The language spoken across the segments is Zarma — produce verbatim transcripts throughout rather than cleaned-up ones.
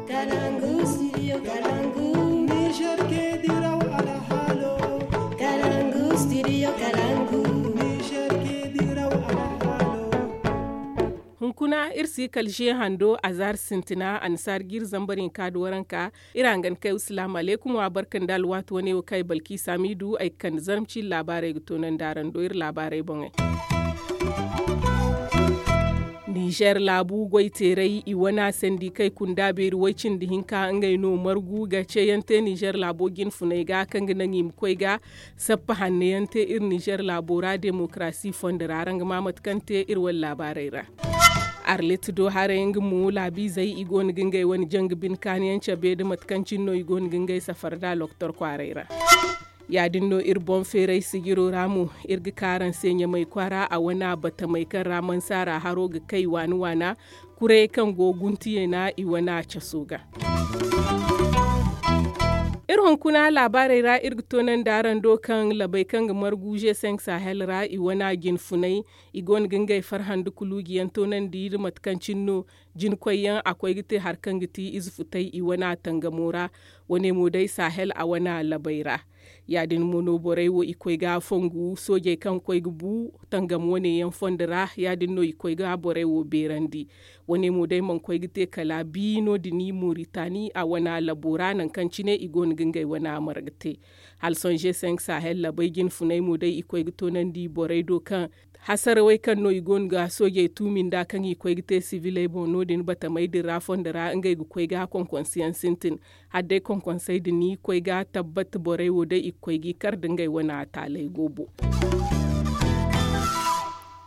Kalangu, studio Kalangu. Niger ke diraw alhaalo. Kalangu, studio Kalangu. Niger ke diraw alhaalo. Hunkuna iri si kala ze hando a zaari sintina annasaari ga iri zambar hinka nda waranka. Iri hangan kay wa salaamu alaykum wa barka nda alwaati wane wo kaŋ ay balkiisa miidu ay ga kande zarma ciiri laabaarey ga toonandi araŋ do iri laabaarey boŋey. Nizer laabu goyteeray i wane sandi kaŋ ay kunda beeri way- cindi hinka ngey no margu ga ceeyaŋ te nizer laabo jinfunay ga kaŋ ga naŋ i ma koy ga sappa hanno yaŋ te iri nizer laabo ra demokarasi fondo ra araŋ ga ma mate kaŋ te iri wane laabaarey ra. Arlit do haray nga mo laabiizey i go no ga ngey wane janga bine kaani yaŋ cabe nda mate kaŋ cine no i go no ga ngey safar nd'a loktor kwaaray ra. Ya- din no iri boŋ feeray sijiro ra mo iri ga ka araŋ se ɲamay kwaara a wane batamey kaŋ ra mansaara haro ga kay waana waana kurayey kaŋ go guntiyeena i wane caso ga. Iri hunkuna laabaarey ra iri ga toonandi araŋ do kaŋ labey kaŋ ga margu g cinq sahel ra i wane jinfunay i go no ga ngey farhã nda kuluuji yaŋ toonandi nda mate kaŋ cine no jina koyyaŋ a koy ga te hari kaŋ ga ti ize futay i wane tangamo ra. Wane mo day sahel a wane labey ra. Ya- din mo no borey wo i koy ga fongu soojey kaŋ koy ga bu tangam wane yaŋ fondo ra ya- din no i koy ga borey wo beerandi. Wane mo day mana koy ga te kala bi no- din i moritani a wane labo ra nangu kaŋ cine i go no ga ngey wane marga te. Hala sohõ g cinq sahel labey jinfunay mo day i koy ga toonandi borey do kaŋ hasarawey kaŋ no i go no ga soojey tuumi nd'a kaŋ i koy ga te siviley boŋ no- din batamey din ra fondo ra ngey ga koy ga konkonse yaŋ sintin. Hala day konkonsey din i koy ga tabbat borey wo day i ga koy g'i kar nda ngey wane taaley goobo.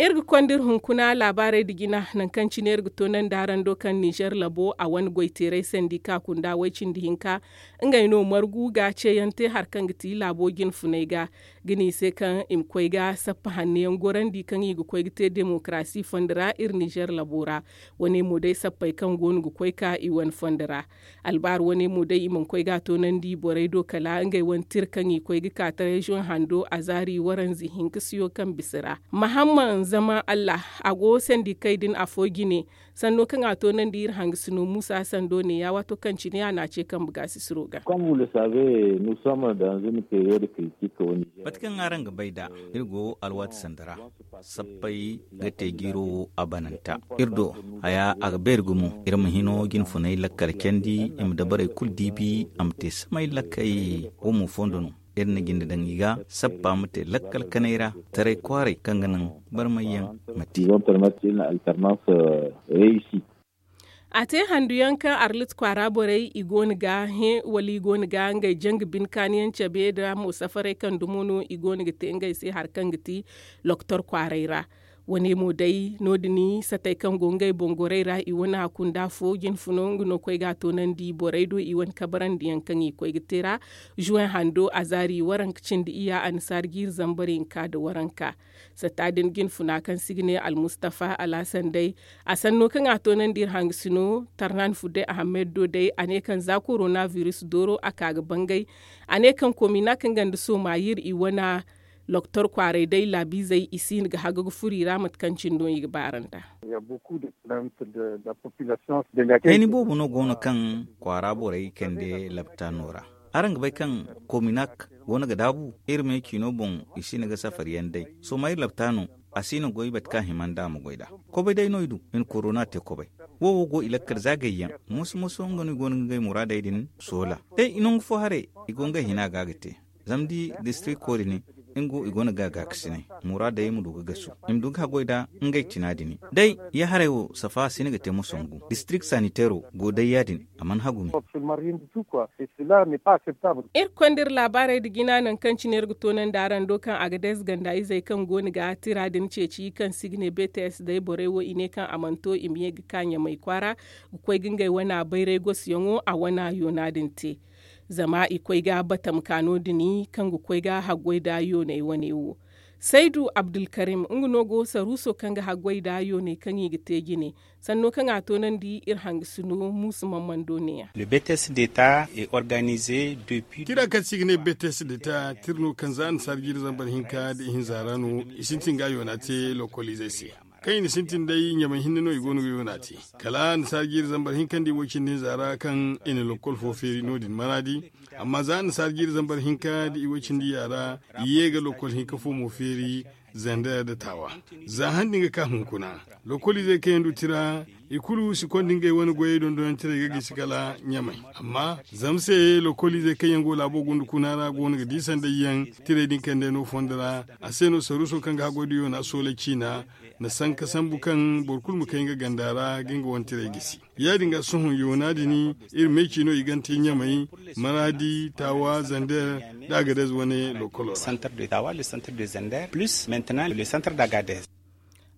Iri ga konda iri hunkuna laabaarey nda jina nangu kaŋ cine iri ga toonandi araŋ do kaŋ nizer labo a wane goyteeray sandika kunda way- cindi hinka ngey no margu ga ceeyaŋ te hari kaŋ ga ti laabo jinfunay ga ga ne i se kaŋ i ma koy ga sappa hanno yaŋ gorandi kaŋ i ga koy ga te demokarasi fondo ra iri nizer labo ra. Wane mo day sappey kaŋ go no ga koy ka i wane fondo ra. Albaari wane mo day i mana koy ga a toonandi borey do kala ngey wane tira kaŋ i koy ga ka taray zoŋ hando a zaari waranza hinka siyo kaŋ bisa ra mahamman zama allah a go sandikey din afo jine. Sanno kaŋ a toonandi iri hangasino muusa sando neeya waato kaŋ cine a na a ce kambe gaasisiro ga. Mate kaŋ araŋ ga bay nd'a iri go alwaati sanda ra sappey ga te jiiro wo a bananta. Iri do haya a ga beeri gumo iri ma hino jinfunay lakkal candi i ma dabarey kulu diibi a ma te samay lakkey wo mo fondo no. Iri na jinde daŋ i ga sappa ma te lakkal kanay ra taray kwaaray kaŋ ga naŋ barmayyaŋ ma te. A te handu yaŋ kaŋ arlit kwaara borey i go no ga hẽ wala i go no ga ngey janga bine kaani yaŋ cabe nda mo safarey kaŋ dumo no i go no ga te ngey se hari kaŋ ga ti loktor kwaaray ra. Wane mo day no- din satey kaŋ go ngey boŋ gorey ra i wane hakunda fo jinfuno nga no koy ga a toonandi borey do i wane kabarandi yaŋ kaŋ i koy ga te ra. Zuwen hando a zaari waranka cindi iya annasaari jiiri zambar hinka nda waranka. Satta din jinfuna kaŋ se i ga ne almustafa alhasan day a sanno kaŋ a toonandi iri hangasino tarnan fudday ahammed do day a ne kaŋ za korona biris dooro a ka ga bangay. A ne kaŋ kominak nga nda somayir i wane loktor kwaaray day laabiizey i si hin ga haga ga furo i ra mate kaŋ cine no i ga baaranda. Hayni boobo no go no kaŋ kwaara borey kande laptaano ra. Araŋ ga bay kaŋ kominak go no ga daabu iri me ciino boŋ i si hin ga safar yaŋ day somayir laptaano. A si hin ga goy bate kaŋ a hima nd'a ma goy nd'a. Kobay day no i du i na korona te kobay. Wo wo go i lakkal za gayyaŋ moso moso nga no i go no ga ngey muraadey din soola. Day i nangu fo haray i go ngey hina ga ga te. Zama da i distrikto din nga wo i go no ga gaakasinay muraadey ma du ga gasu i ma du ga haggoy nd'a ngey cina din. Day ya haray wo safa a si hin ga te ma songu distrikt sanitero go day ya- din. A mana hagu me. Iri konda iri laabaarey nda jina nangu kaŋ cine iri ga toonandi araŋ do kaŋ a ga day za ganda izey kaŋ go no ga tira din ceeci kaŋ se i ga ne bts day borey wo i ne kaŋ a mana to i ma ye ga ka ɲamay kwaara ga koy ga ngey wana bayray gosuyaŋo a wana yoona din te. Zama i koy ga batam ka no- din kaŋ ga koy ga haggoy nda yooney wane wo. Saydu abdulkarim nga no go saruuso kaŋ ga haggoy nda yooney kaŋ i ga te jine. Sanno kaŋ a toonandi iri hangasino muusu mammando neeya. Tira kaŋ se i ga ne bts deta tira no kaŋ za annasaara jiiri zambar hinka nda ihinza ra no i sintin ga yoona te lokoliizey se. Kaŋ i na sintin day ɲamay hinne no i go no ga yoona te. Kala annasaara jiiri zambar hinka nda i way cindi hinza ra kaŋ i na lokkol fo feeri no- din maraadi. Amma za annasaara jiiri zambar hinka nda i way cindi yaara, i ye ga lokkol hinka fo mo feeri, zander nda taawa. Za han din ga ka hunkuna, lokkoliizey kaŋ yaŋ du tira, i kulu si konda ngey wane goyey dondonantirey ga gisi kala ɲamay. Amma zama se lokkoliizey kaŋ yaŋ go laabo gunda kuna ra go no ga di sanday yaŋ, tirey din kaŋ day no fondo ra. A se no saruuso kaŋ ga haggoy da yoona soolay ciina na sanka sambu kaŋ boro kulu ma kay nga ganda ra ga nga wane tirey gisi. Ya- din ga sohõ yoona din, iri meeci no i gante ɲamay, maraadi, taawa, zander, nda agadez wane lokkolo ra. Centre de tawa le centre de zander plus maintenant le centre d'agadez.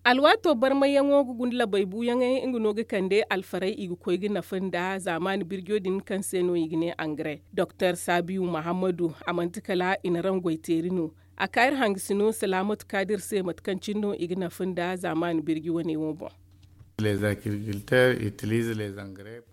Alwaato barmayyaŋo ga gunda labay buuyaŋey nga no ga kande alfarey i ga koy ga nafa nda zaamaani birjo din kaŋ se no i ga ne angare. Doktor sabiyu mahammadu a manti kala i na raŋ goy teeri no. A ka iri hangasino salaamatu kaadir se mate kaŋ cine no i ga nafa nda zaamaani birji wane wo boŋ.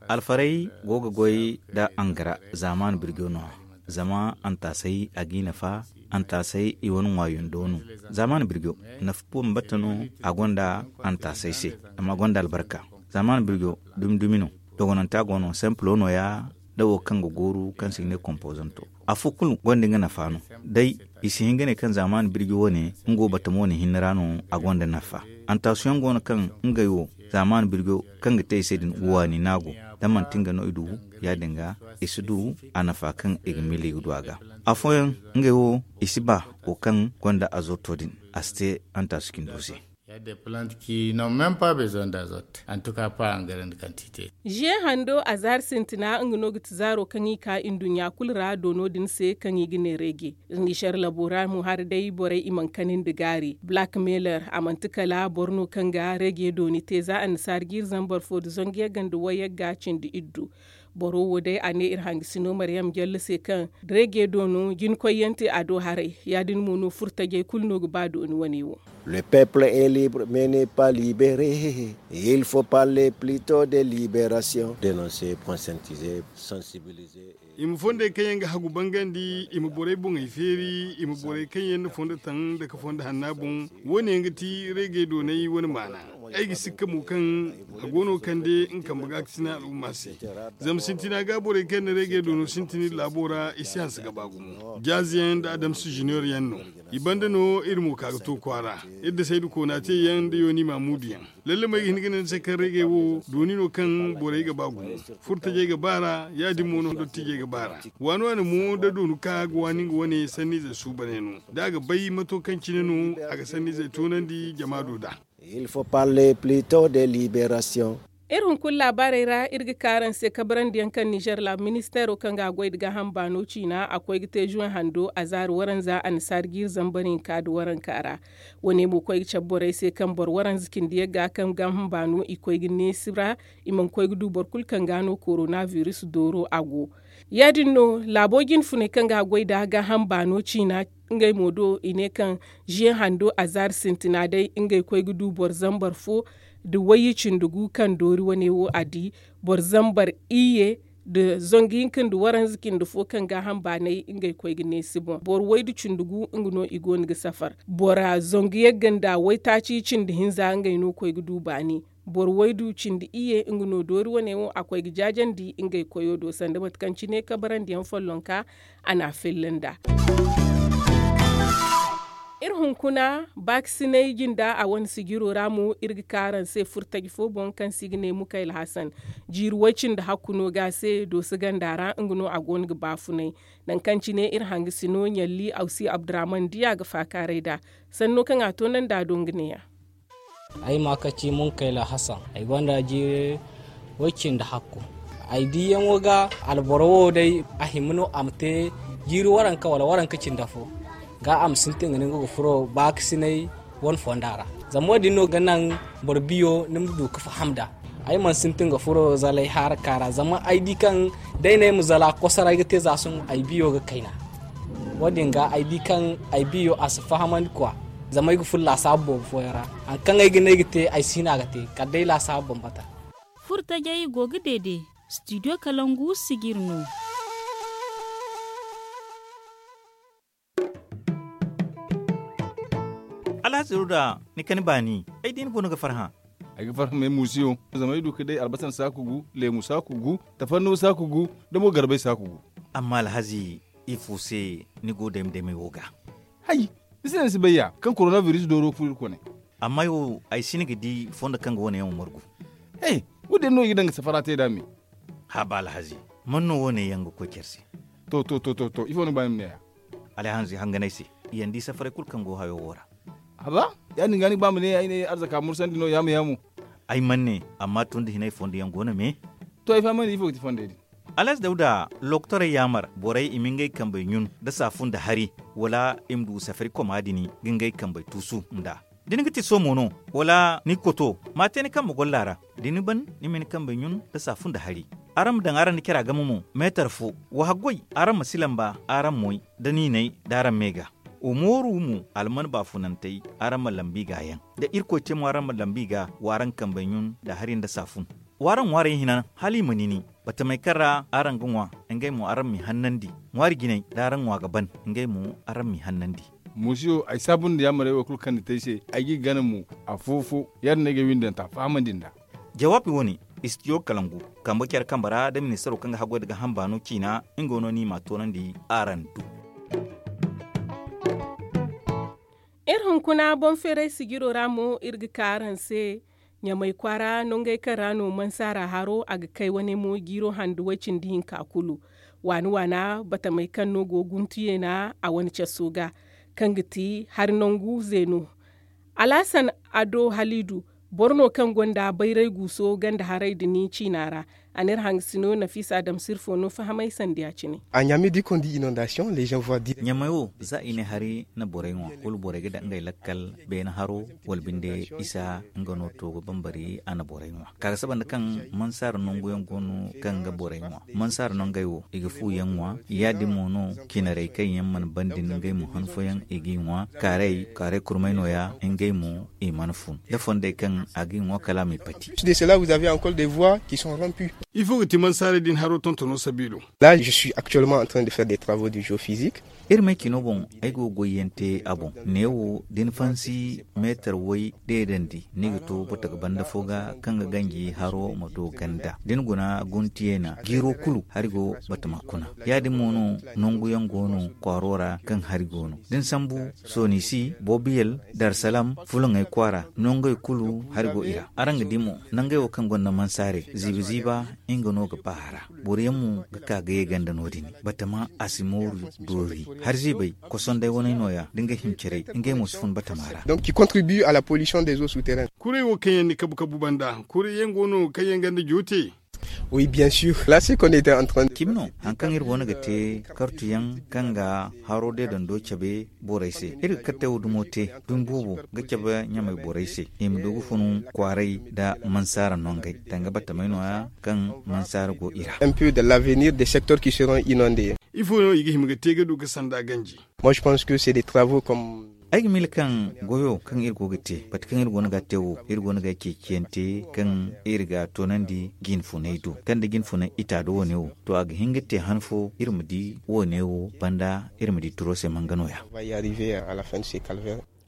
Alfarey go ga goy nda angara zaamaani birjo no. Zama antaasey a g'i nafa. Antaasey i wane ŋwaayundo no. Zaamaani birjo nafa bambata no. A gonda antaasey se. Amma gonda albarka. Zaamaani birjo dumi dumi no. Dogonanta go no sempilo nooya. Da wo kaŋ ga gooru kaŋ se i ga ne kompozanto. Afo kulu gonda nga nafa no. Day i si hin ga ne kaŋ zaamaani birji wane nga wo batamo wane hinne ra no. A gonda nafa. Antasiyoŋ go no kaŋ ngey wo zaamaani birjo kaŋ ga te i se din waani no a go. Da manti nga no i du, ya- din ga i si du a nafa kaŋ i ga miila i ga du a ga. Afooyaŋ ngey wo i si ba wo kaŋ gonda azoto din, a si te antaasi cindo se. Ziye hando azaari sintina nga no ga ti zaaro kaŋ i ka nduɲɲa kulu ra doono din se kaŋ i ga ne reege. Nizer labo ra mo hari day borey i mana kani nda gaari black mailer a manti kala boro no kaŋ ga reege dooni te za annasaara jiiri zambar fo nda zangu yagga nda way yagga cindi iddu. Boro wo day a ne iri hangasino mariyam jalle se kaŋ reege doono jinkoyyaŋ te a do haray. Ya- din mo no furtajey kulu no ga ba dooni wane wo. Le peuple est libre mais n'est pas libéré. Il faut parler plutôt de libération dénoncer conscientiser sensibiliser. I ma fondey kaŋ yaŋ ga hagu bangandi, i ma borey boŋey feeri, i ma borey kaŋ yaŋ na fondo taŋ nda ka fondo hanna boŋ. Wo- ne yaŋ ga ti reegey doonay wane maana. Ay ga sikka mo kaŋ a go no kande nga kambe ga ga sina al'umma se. Zama sintina ga borey kaŋ yaŋ na reegey doono sintin iri laabo ra i si hanse ga ba gumo jaaze yaŋ nda adamsi junior yaŋ no. I banda no iri mo ka ga to kwaara. Iri da saydu koona te yaŋ nda yooni maamuudu yaŋ. Lalle mo ay ga hin ga ne ni se kaŋ reegey wo dooni no kaŋ borey ga ba gumo. Furtajey ga ba ra ya- din mo no dottijey ga ba ra. Waani waani mo da doonu ka ga waani nga wane sanniizey suubaney no. Da a ga bay mato kaŋ cine no a ga sanniizey toonandi jama do nd'a. Il faut parler plutôt de libération. Iri hunkuna laabaarey ra iri ga ka araŋ se kabarandiyaŋ kaŋ nizer laabu ministeero kaŋ ga a goy nda gaaham baano ciina a koy ga te juwen hando a zaari waranza annasaara jiiri zambar hinka nda waranka ra. Wo- ne mo koy ga cabe borey se kaŋ boro waranza cindi yagga kaŋ gaaham baano i koy ga neesi ra. I mana koy ga du boro kulu kaŋ ga no korona biris dooro a go. Ya- din no laabo jinfuney kaŋ ga a goy nda gaaham baano ciina. Ngey mo do i ne kaŋ ziye hando azaari sintina day ngey koy ga du boro zambar fo nda wayye cindi gu kaŋ doori wane wo a di. Boro zambar iyye nda zangu hinka nda waranza cindi fo kaŋ gaaham baanay ngey koy ga neesi boŋ boro waydu cindi gu nga no i go no ga safar. Bora zangu yagga nda waytaaci cindi hinza ngey no koy ga du baani. Boro waydu cindi iyye nga no doori wane wo a koy ga jaajandi ngey koyo do sanda mate kaŋ cine kabarandiyaŋ follonka a n'a filla nd'a. Iri hunkuna baakisinay jinda a wane sijiro ra mo iri ga ka araŋ se furtaji fo boŋ kaŋ se i ga ne mukayla hasan. Jiiri way-cindi hakku no ga a se dooso ganda ra nga no a go no ga baafunay. Nangu kaŋ cine iri hangasino ɲalli awsi abdurahman diya ga faakaaray nd'a. Sanno kaŋ a toonandi a do nga neeya. Ay ma ka ci munkayla hasan ay gonda jiiri way-cindi hakku. Ay diyaŋo ga alboro wo day a hima no a ma te jiiri waranka wala waranka cindi fo ga a ma sintin ga ne nga ga furo baakasinay wane fonda ra. Zama wo- din no ga naŋ boro biyo ni ma du ga faham nd'a. Ay mana sintin ga furo zalay haraka ra zama ay di kaŋ day no ay ma zala kosoray ga te za sohõ ay biyo ga kayna. Wo- din ga ay di kaŋ ay biyo a si fahamandi kwa. Zama ay ga furo laasaabu boobo fooyaŋ ra. Hari kaŋ ay ga ne ay ga te ay si hin a ga te kala day laasaabu bambata. Furtajey go ga deede studio kalangu sijir no. Haziru da ni kani baani, ay di ni goono ga farhã. Ay ga farhã me muusiyo, zama ay du ga day albasan saaku gu, leemu saaku gu, tafarnuwa saaku gu, da mo garbay saaku gu. Amma alhazi, ifo se ni go dayma daymay wo ga? Hay, ni si ne ni si bay ya kaŋ korona biris dooro furo iri kone. Amma ay wo ay si ni ga di fondo kaŋ ga wane yaŋ wo margu. He, wo- din no i ga daŋ ga safara te nd'a me. Haba alhazi, man no wane yaŋ ga koy care se? To to to to to ifo ni ga ba ni ma ne ya? Alhazi hanganay se, i yaŋ di safaray kulu kaŋ go hayo wo ra. Haba, ya- din ga ni ga ba ma ne ay ne arzaka mursandi no yaamu yaamu. Ay man ne, amma tun da hinay fondo yaŋ go no me. To ay fahamandi ifo ga ti fondey din? Alas dawda, lokotorey yaamar borey i ma ngey kambey ɲun nda saafun nda hari, wala i ma du safari koma din ga ngey kambey tuusu nd'a. Da ni ga ti somo no, wala ni koto, ma a te ni kambe golla ra. Da ni ban, ni ma ni kambey ɲun nda saafun nda hari. Araŋ ma daŋ araŋ nda cara game mo, meetar fo. Wa haggoy, araŋ ma si lamba araŋ moy, da niinay da araŋ me ga. Wa mooru mo, alman baafunantey, araŋ ma lambu i ga yaŋ. Da irkoy te mo araŋ ma lambu i ga, wa araŋ kambey ɲun nda hari nda saafun. W'araŋ ŋwaaray hina hala i ma nini. Batamey kaŋ ra araŋ ga ŋwa, ngey mo araŋ m'i hannandi. Ŋwaari jinay da araŋ ŋwa ga ban, ngey mo araŋ m'i hannandi. Muusiyo, ay saabu nda yaamarey wo kulu kaŋ ni te ay se, ay g'i gana mo. Afo-fo, ya- din no ay ga ay windanta fahamandi nd'a. Jawaabi wane, istidiyo kalangu, kambe care kambe ra da ministaro kaŋ ga haggoy nda gaaham baano ciina, nga no no i m'a toonandi. Araŋ du. Iri hunkuna boŋ feeray sijiro ra mo iri ga ka araŋ se. Ɲamay kwaara nongey kaŋ ra no mansaara haro a ga kay wane mo jiiro handu way-cindi hinka kulu. Waani waana batamey kaŋ no go guntu yeena a wane caso ga, kaŋ ga ti hari nangu zeeno. Alaasan ado haliidu, boro no kaŋ gonda bayray guuso ganda haray din ciina ra. A n'iri hangasino nafiisa adamsirfo no fahamay sanda ya- cine. Ɲamay wo za i ne hari na borey ŋwa kulu borey ga daŋ ngey lakkal beene haro, wala binde isa nga no to ga bambari a na borey ŋwa. Ka ga saba nda kaŋ mansaara nangu yaŋ go no kaŋ ga borey ŋwa. Mansaara nangey wo i ga fu yaŋ ŋwa. Ya- din mo no, cinarey kaŋ yaŋ mana ban din ngey mo han fooyaŋ i g'i ŋwa. Kaaray kaaray kurmay no- ya, ngey mo i mana fun da fondey kaŋ a g'i ŋwa kala a m'i pati. Ifo ga ti mansaarey din haro tontono sabiilo? Iri may cino boŋ, ay go ga goyyaŋ te a boŋ. Neewo da ni fansi meetar way deedandi, ni ga to bataka banda fo ga kaŋ ga ganji haro ma do ganda da ni guna guntiyeena jiiro kulu hari go batama kuna. Ya- din mo no nangu yaŋ go no kwaaro ra kaŋ hari go no da ni sambu, sonisi, bobiyel, darsalam, fulaŋey kwaara, nangey kulu hari go i ra. Araŋ ga di mo, nangey wo kaŋ gonda mansaarey ziiba ziiba, nga no ga ba a ra. Boro yaŋ mo ga ka ga ye ganda no- din. Batama a si mooru doori. Hari ziibey, kosonday waney no- ya da nga himcerey, ngey mo si fun batama ra. Kurey wo kaŋ yaŋ ni kabu kabu banda, kurey yaŋ go no kaŋ yaŋ ganda joote? Cimi no, hari kaŋ iri go no ga te kartu yaŋ kaŋ ga haro deedando cabe borey se. Iri ga kartey wo dumo te, dumi boobo ga cabe ɲamay borey se, i ma du ga funu kwaaray nda mansaara nongey, danga batamey no- ya kaŋ mansaara go i ra. Ifo no i ga hima ga te ga du ga sanda ganji? Ay ga miila kaŋ goyo kaŋ iri go ga te, bate kaŋ iri go no ga a te wo, iri go no ga ay ceeciyaŋ te kaŋ iri ga a toonandi jinfunay do, kaŋ da jinfunay ita do wane wo, to a ga hin ga te han fo iri ma di wane wo banda, iri ma di turo se manga no- ya.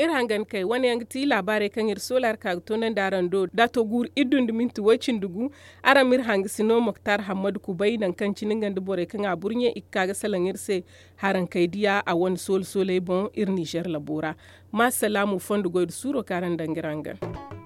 Iri hangan kay wane yaŋ ga ti laabaarey kaŋ iri soola ra ka ga toonandi araŋ do da a to guuru iddu nda minti way-cindi gu. Araŋ ma iri hangasino moktar hammadu kubay nangu kaŋ cine nga nda borey kaŋ a burɲe i ga ka ga salaŋ iri se. Haraŋ kay diya a wane soole sooley boŋ iri ninzeer labo ra. Maasalaamu fondo goy nda suuro kaŋ araŋ daŋ ga iri hangan.